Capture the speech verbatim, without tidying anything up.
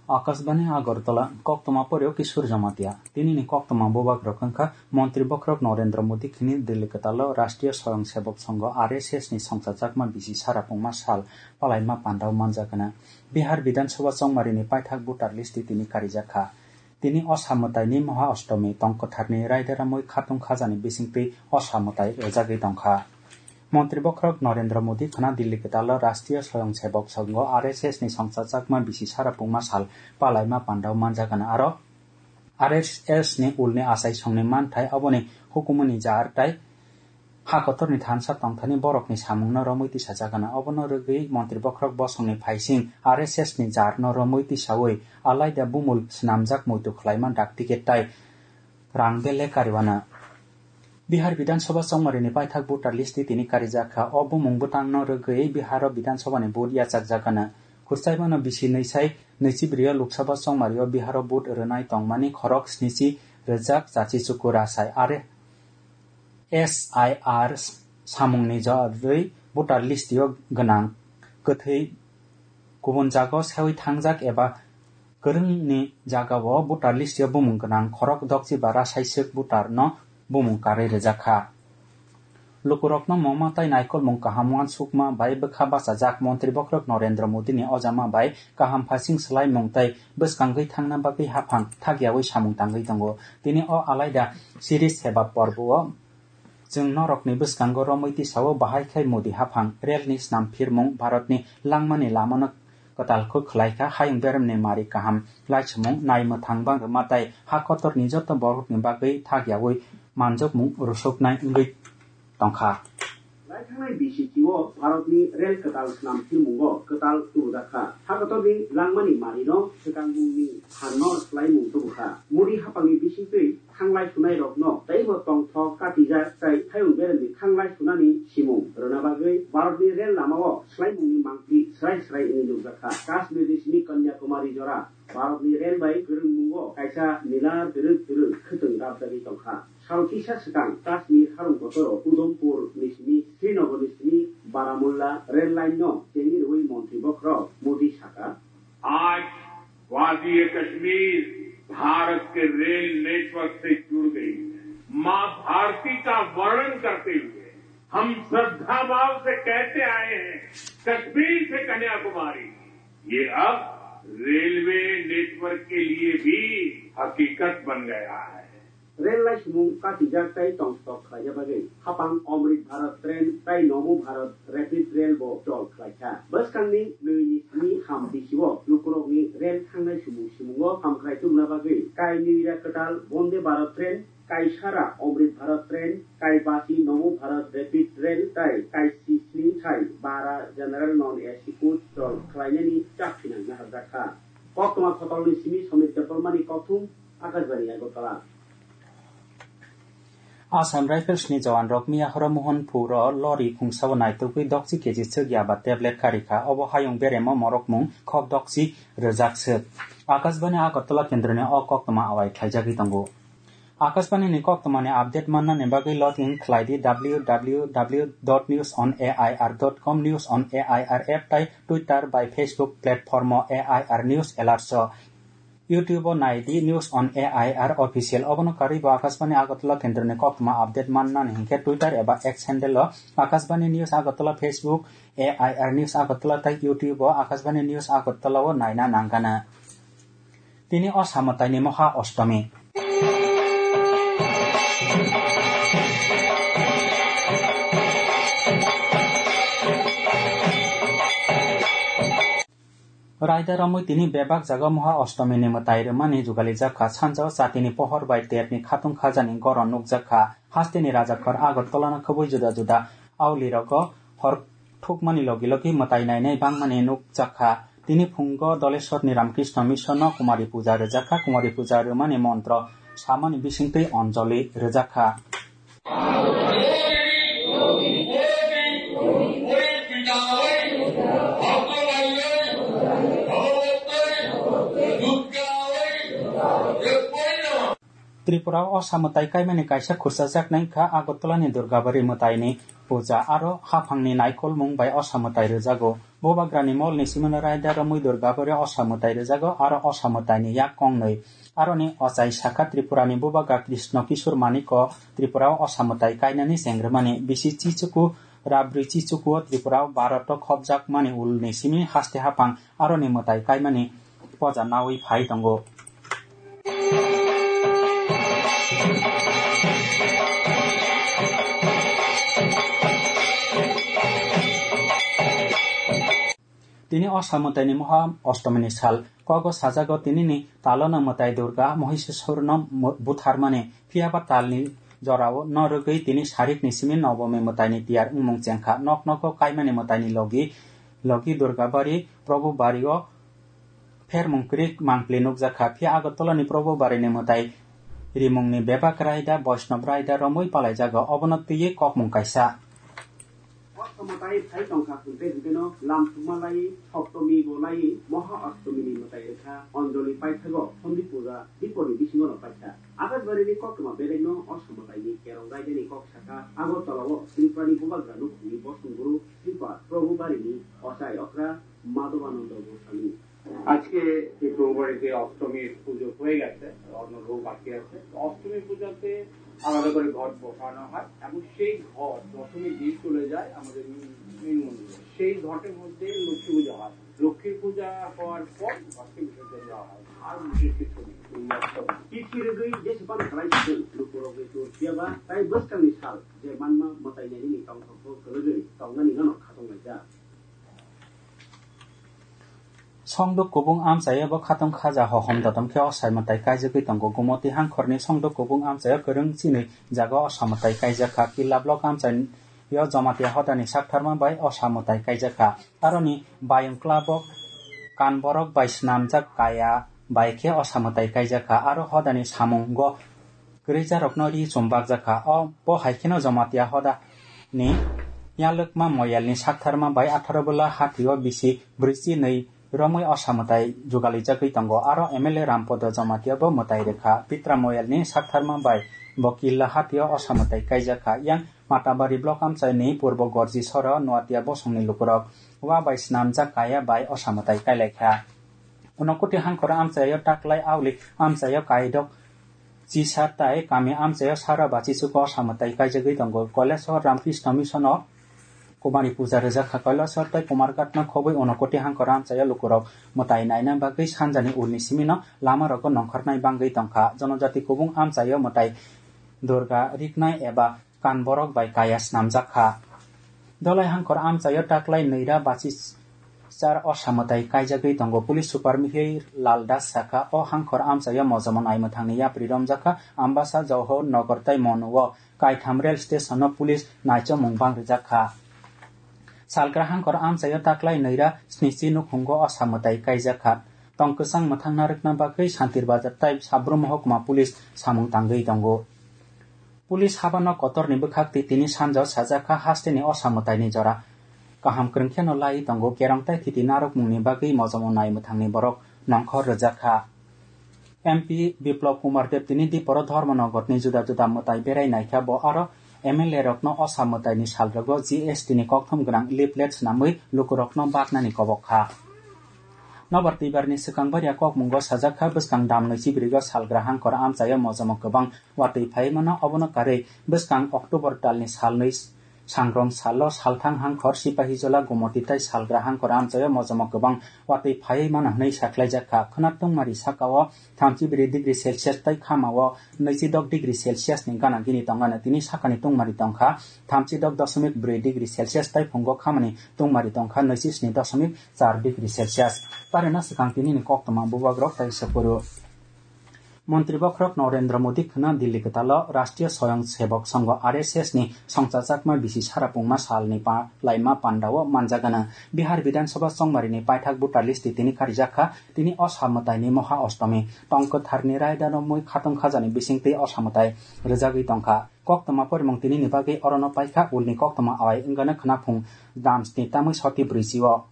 Akashbani Agartala, koktwma poryo Kishore Jamatia. Tinini koktwma bubagrok wngkha Montri Bokhorok Narendra Modi khini Delhi kwtalo Rashtriya Swayamsevak Sangho R S S ni songchajakma bisi sara pungma sal palaima pandao manjakgana. Bihar Bidhan Sabha chongmarini paithak voter list tini karijakha. Tini o samwtaini Maha Ashtomi tong kwtharni raida ramwi khatung khajani bisingtwi o samwtai rwjagwi tongkha. Montri Bokhorok Narendra Modi khwna Delhi kwtalo Rashtriya Swayamsevak Sangho R S S ni songchajakma bisi sara pungma sal palaima pandao manjakgana aro R S S ni ulni achaisongni manthai aboni hukumuni jar tai ha kotorni thansa tongthani borokni samungno romwi tisajakgana. Obono rwgwi Montri Bokhorok bosongni phaising R S S ni jarno romwi tisawi alaida bumul swnamjak muitu khwlaima dak ticket tai rang bele kariwana. Bihar Bidhan Sabha chongmarini paithak voter list tini karijakha. O bumung bwtangno rwgwi Biharo Bidhan Sabhani vote yachakjakgana. Khurchaimano bisi nwi sai nwichi brio Lok Sabha chongmario Biharo vote rwnai tongmani khorok snichi rwjak chachi chuku rasai are S I R samungni jagwi voter list-o gwnang kwthwi kubun jagao sewi thangjak eba kwrwngni jagao voter list-o bumung gwnang khorok dokchi bara saiswk voter-no bumung karwi rwjakha. Lukurokno moma tai naikolmung kaham uansukma bai bwkha bachajak Montri Bokhorok Narendra Modini ojama bai kaham phasing swlaimung tei bwskangwi thangna bagwi haphang thakyawi samung tangwi tongo. Tini o alaida Siri Seba porbo-o chwng norokni bwskango romwi tisao bahai khai Modi haphang relni snam phirmung Bharatni langmani lamano kwtal kuk khlai kha, hayung beremni mari kaham laisumung nai mwthang bang rwma tei ha kotorni joto borokni bagwi thakyawi manjokmung rwsuknai wngwi tongkha. Lai thangnai B C C o Bharatni rel kwtal snam phirmungo kwtal tubujak kha. Ha kotorni langmani marino swkangmungni phanno swlaimung tubu kha. Modi haphangni bisingtwi thanglai sunairokno teibo tongthok katijak tei hayung beremni thanglai sunani simung rwna bagwi Bharatni rel lamao swlaimungni mangpli srai srai wngwi nukjak kha. Kashmirni simi Kanyakumari jora Bharatni rel bai kwrwngmungo kaisa nila twrwk twrwk khwtwng dapjagwi tongkha. Sal kisa swkang Kashmir harung kotoro Udhampur ni simi Srinagar ni simi Baramulla rel line no chengwi rwui montri bokhorok Modi saka, आज वादी कश्मीर भारत के rail network से जुड़ गई है। माँ भारती का वर्णन करते हुए हम श्रद्धा भाव से कहते आए हैं, कश्मीर से कन्याकुमारी, ये अब रेलवे नेटवर्क के लिए भी हकीकत बन गया है। Rel laisumung katijak tei tongthok khlaina bagwi haphang Amrit Bharat Train tei Namo Bharat Rapid Rail bo chol khlaikha. Bwskangni nwi ni simi ham bisio lukurokni rel thangnai sumung simungo hamkrai tubuna bagwi kai nwi ra kwtal Bonde Bharat Train, kai sara Amrit Bharat Train, kai basi Namo Bharat Rapid Rail tei kai si sni sai bara General Non A C coach chol khlainani chak phinang naharjak kha. Koktwma Khotolni simi Somit Debbarmani kokthum, Akashbani Agartala. Assam Rifles ni jawan rok miya horo Mohanpur o lori khungsao naitugwi dokchi keji chwk yaba tablet karikha. Obo hayung beremo morokmung khok dokchi rwjak swk. Akashbani Agartala kendroni o koktwma awai khlaijagwi tongo. Akashbani ni koktwmani update mannani bagwi login khlai di W W W dot news on A I R dot com, News on A I R app tai Twitter bai Facebook platform o A I R News Alerts o. YouTube o nai di News on A I R Official. Obono karwi bo Akashbani Agartala kendroni koktwma update mannani hinkhe Twitter eba X handle o Akashbani News Agartala, Facebook A I R News Agartala tei YouTube o Akashbani News Agartala o naina nangana. Tini o samataini Moha Ostomi. Raida romwi tini bebak jaga Moha Ostomi ni mwtai rwmani jugalijak kha. Sanjao chatini pohor bai terni khatung khajani goron nukjak kha. Hasteni rajakhor Agartala no khobwi juda juda auli rogo hor thukmani logi logi mwtai nainai bangmani nukjak kha. Tini phungo Doleshwar ni Ramakrishna Mission no Kumari Puja rwjak kha. Kumari Puja rwmani montro samani bisingtwi Anjali rwjak kha. Tripura o Osa mwtai kaimani kaisa khurchajak nai wngkha Agartala ni Durgabari mwtai ni puja aro haphang ni naikolmung bai Osa mwtai rwjago. Bubagra ni mol ni simi no raida romwi Durgabari o Osa mwtai rwjago aro Osa mwtai ni yak kongnwi. Aro ni ochai sakha Tripura ni Bubagra Krishna Kishore Manik o Tripura o Osa mwtai kainani chengrwmani bisi chichuku Rabri chichukuo Tripura o Bharat o khopjakmani ulni simi haste haphang aroni mwtai kaimani poja naui phai tongo. Tini Osa mwtaini Moha Ostomini sal. Kogo sajago tinini talono mwtai Durga Mohisasurno mu-, butharmani. Phiyaba talni jorao no rwgwi tini sarikni simi Nobomi mwtaini tiyar wngmung chengkha. Nok nogo kaimani mwtaini logi, logi Durga bari, Probu bario phermung krik mangpli nukjakha. Phiya Agartala ni Probu barini mwtai rimungni bebak raida, Boishnab raida romwi palaijago. Obono twiwi kokmung kaisa. Osto mwtai phai tongkha hwnkhe hwnkhe no lam thumma lai, Soptomi bo lai, Moha Ostomi ni mwtai rwkha, Anjali paithago, Sondi puja, Diponi bisingo no paikha. Akashbari ni koktwma bedekno Osto mwtai ni kerong raida ni kok sakha, Agartala o Tripura ni Bubagra nukhungni bosong guru Sripad Probhu Bari ni ochai okra Madhavananda Goswami. আজকে এই প্রভুবাড়িতে অষ্টমীর পুজো হয়ে গেছে, অন্য ভোগ বাকি আছে। তো অষ্টমী পূজাতে আলাদা করে ঘট বসানো হয় এবং সেই ঘট দশমীর দিন চলে যায় আমাদের মেইন, মেইন মন্দিরে। সেই ঘটের মধ্যে লক্ষ্মী পূজা হয়। লক্ষ্মী পূজা হওয়ার পর ঘটকে বিসর্জন দেওয়া হয়। আর বিশেষ কিছু নেই। এই Ashtami. Tithi rwgwi jesa phano khlai sijak lukurokni tur phiyaba tai bwskangni sal je manma mwtai nainani tongthokbo kwlwgwi tongnani gano khatunglaijak. Songduk kubung amchaio bo khatong khaja hohom dodom khe osai mwtai kaijagwi tongo. Gumoti hangkhorni Songduk kubung amchaio kwrwng chini jaga osa mwtai kaijakha. Killa block amchaio Jamatia hodani saktharma bai osa mwtai kaijakha. Aroni bayung klabok kanborok bai swnamjak kaya bai khe osa mwtai kaijakha. Aro hodani samungo kwrwijarokno ri chum bakjakha. O, bo hai kheno Jamatia hodani Yalwkma Moyalni saktharma bai atharo bwla hatio bisi brwichi nwi romwi osa mwtai jugalijagwi tongo. Aro M L A Rampodo Jamatia bo mwtai rwkha. Pitra Moyalni saktharma bai bo Killa hatio osa mwtai kaijakha. Yang Matabari block amchaini Purbo Gorji soro Noatia bosongni lukurok wa bai swnamjak kaya bai osa mwtai kailaikha. Unokoti hangkhor amchaio taklai aulik amchaio kaidok Chisa tai kami amchaio sara bachi chuko osa mwtai kaijagwi tongo. Kolesor Ramkrishna Mission o Kumari puja rwjakha. Kolesor tai Kumarghat no khobwi Unokoti hangkhor amchaio lukurok mwtai naina bagwi sanjani ulni simino lama rogo nongkhornai bangwi tongkha. Jonojati kubung amchaio mwtai Durga riknai eba Kanborok bai kaya snamjak kha. Dolai hangkhor amchaio taklai nwira bachi char osa mwtai kaijagwi tongo. Police Super Mihir Lal Das sakha, o hangkhor amchaio mojomo naimwthangni yapri romjak kha. Ambasa, Johor, Nogor tai Monu o kaitham rail station o police naichomung bang rijak kha. Salgra hangkhor amchaio taklai nwira snichi nukhungo osa mwtai kaijak kha. Tong kwchang mwthang narwkna bagwi Santir Bazar tai Sabrum Mohokma police samung tangwi tongo. Police habano kotorni bwkhak twi tini sanjao sajak kha hasteni osa mwtaini jora. Kaham kwrwng kheno lai tongo, kerong tai thiti narwkmungni bagwi mojomo nai mwthangni borok nongkhor rwjak kha. M P Biplab Kumar Deb tini Diporo Dharmanagarni juda juda mwtai berai naikha, bo aro M L A rokno osa mwtaini salrogo G S T ni kokthom gwnang leaflet swnamwi lukurokno baknani kobok kha. Nobar twibarni swkang baria kokmungo sajak kha, bwskang damnwi chibrigo salgra hangkhor amchaio mojomo kwbang watwi phaiwi mano. Obono karwi bwskang October talni salnwi sangrong salo salthang hangkhor Sipahijola Gomoti tai salgra hangkhor amchaio mojomo kwbang watwi phaiwi mano hwnwi sakhlaijak kha. Khwna tungmari sakao thamchi bri degree Celsius tai khamao nwichi dok degree Celsius ni gana gini tongmano, tini sakani tungmari tongkha thamchi dok doshomik bri degree Celsius tai phungo khamani tungmari tongkha nwichi sni doshomik char degree Celsius. Parina swkang tinini koktwma bubagrok tai sopuru. Montri bokhorok Narendra Modi khwna Dilli kwtalo Rashtriya Swayamsevak Sangha, R S S ni songchajakma bisi sara pungma salni pa-, laima pandao manjagana. Bihar Bidhan Sabha chongmarini paithak voter list tini karijakha, tini osa mwtaini Moha Ostomi. Tong kwtharni raida romwi khatong khajani bisingtwi osa mwtai rwjagwi tongkha. Koktwma porimung tinini bagwi orono paikha, ulni koktwma awai wngano khwnaphung dam sni tamwi soti brwichi o.